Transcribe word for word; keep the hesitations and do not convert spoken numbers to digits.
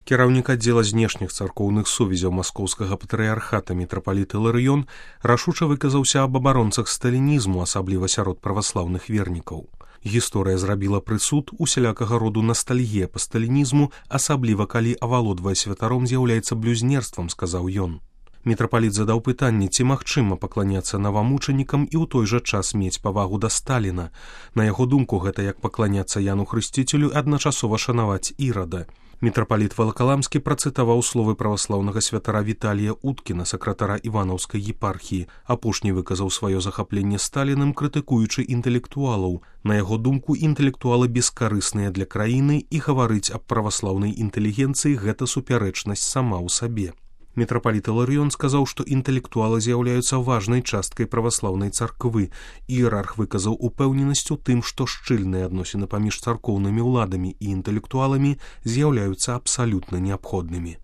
Кіраўнік аддзела знешніх царкоўных сувязяў маскоўскага патрыярхата мітрапаліт Іларыён рашуча выказаўся аб абаронцах сталінізму, асабліва сярод праваслаўных вернікаў. Гісторыя зрабіла прысуд усялякага роду настальгія па сталінізму, асабліва калі авалодвае святаром з'яўляецца блюзнерствам, сказаў ён. Мітрапаліт задаў пытанне, ці магчыма пакланяцца навамучанікам і ў той жа час мець павагу да Сталіна. На яго думку, гэта як пакланяцца Яну Хрысціцелю і адначасова шанаваць Ірада. Мітрапаліт Валакаламскі працытаваў словы праваслаўнага святара Віталія Уткіна, сакратара Іванаўскай епархіі. Апошні выказаў сваё захапленне Сталіным, крытыкуючы інтэлектуалаў. На яго думку, інтэлектуалы бескарысныя для краіны і гаварыць аб праваслаўнай інтэлігенцыі – гэта супярэчнасць сама ў сабе. Мітрапаліт Іларыён сказаў, што інтэлектуалы з'яўляюцца важнай часткай праваслаўнай царквы. Іерарх выказаў упэўненасць у тым, што шчыльныя адносіны паміж царкоўнымі ўладамі і інтэлектуаламі з'яўляюцца абсалютна неабходнымі.